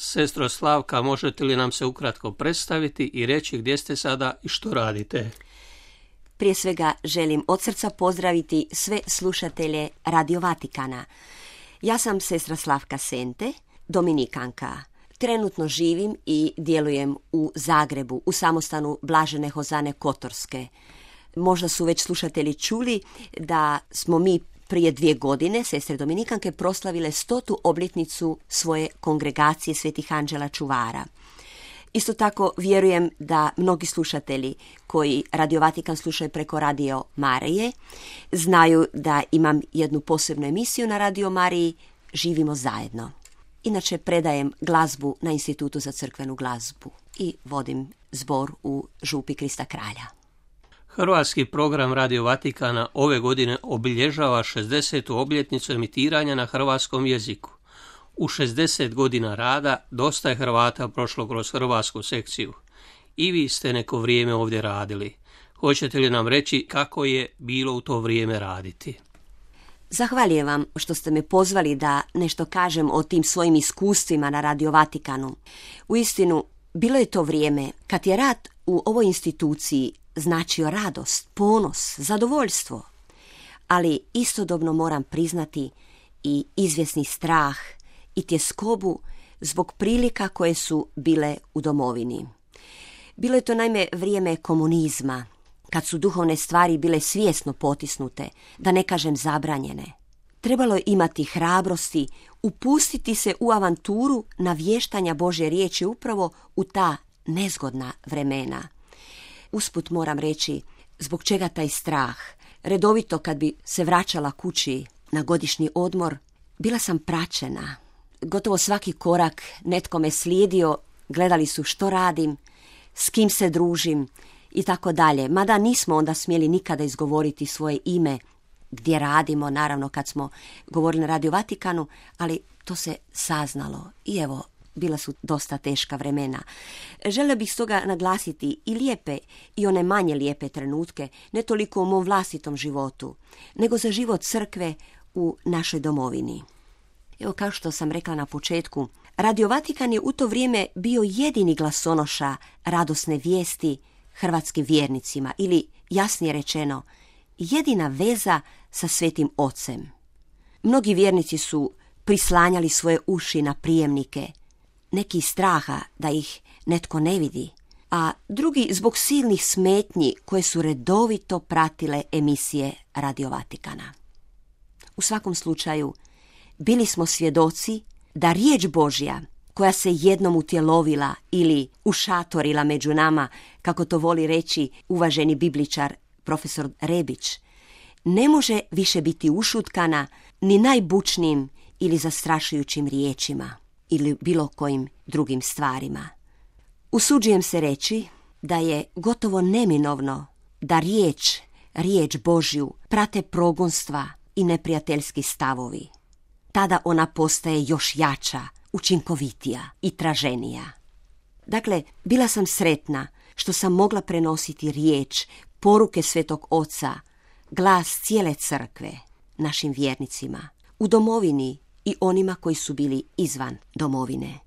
Sestro Slavka, možete li nam se ukratko predstaviti i reći gdje ste sada i što radite? Prije svega želim od srca pozdraviti sve slušatelje Radio Vatikana. Ja sam sestra Slavka Sente, dominikanka. Trenutno živim i djelujem u Zagrebu, u samostanu Blažene Hozane Kotorske. Možda su već slušatelji čuli da smo mi prije 2 godine, sestre dominikanke, proslavile 100. obljetnicu svoje kongregacije Svetih Anđela Čuvara. Isto tako vjerujem da mnogi slušatelji koji Radio Vatikan slušaju preko Radio Marije znaju da imam jednu posebnu emisiju na Radio Mariji Živimo zajedno. Inače predajem glazbu na Institutu za crkvenu glazbu i vodim zbor u Župi Krista Kralja. Hrvatski program Radio Vatikana ove godine obilježava 60. obljetnicu emitiranja na hrvatskom jeziku. U 60 godina rada dosta je Hrvata prošlo kroz hrvatsku sekciju. I vi ste neko vrijeme ovdje radili. Hoćete li nam reći kako je bilo u to vrijeme raditi? Zahvaljujem vam što ste me pozvali da nešto kažem o tim svojim iskustvima na Radio Vatikanu. Uistinu, bilo je to vrijeme kad je rad u ovoj instituciji značio radost, ponos, zadovoljstvo. Ali istodobno moram priznati i izvjesni strah i tjeskobu zbog prilika koje su bile u domovini. Bilo je to naime vrijeme komunizma, kad su duhovne stvari bile svjesno potisnute, da ne kažem zabranjene. Trebalo je imati hrabrosti, upustiti se u avanturu navještanja Božje riječi upravo u ta nezgodna vremena. Usput moram reći zbog čega taj strah. Redovito kad bi se vraćala kući na godišnji odmor, bila sam praćena. Gotovo svaki korak netko me slijedio, gledali su što radim, s kim se družim i tako dalje. Mada nismo onda smjeli nikada izgovoriti svoje ime, gdje radimo, naravno kad smo govorili na Radio Vatikanu, ali to se saznalo i evo, bila su dosta teška vremena. Želio bih stoga naglasiti i lijepe i one manje lijepe trenutke, ne toliko u mom vlastitom životu, nego za život crkve u našoj domovini. Evo, kao što sam rekla na početku, Radio Vatikan je u to vrijeme bio jedini glasonoša radosne vijesti hrvatskim vjernicima ili, jasnije rečeno, jedina veza sa Svetim Ocem. Mnogi vjernici su prislanjali svoje uši na prijemnike, neki iz straha da ih netko ne vidi, a drugi zbog silnih smetnji koje su redovito pratile emisije Radio Vatikana. U svakom slučaju, bili smo svjedoci da riječ Božja, koja se jednom utjelovila ili ušatorila među nama, kako to voli reći uvaženi bibličar profesor Rebić, ne može više biti ušutkana ni najbučnijim ili zastrašujućim riječima ili bilo kojim drugim stvarima. Usuđujem se reći da je gotovo neminovno da riječ Božju prate progonstva i neprijateljski stavovi. Tada ona postaje još jača, učinkovitija i traženija. Dakle, bila sam sretna što sam mogla prenositi riječ, poruke Svetog Oca, glas cijele crkve našim vjernicima u domovini i onima koji su bili izvan domovine.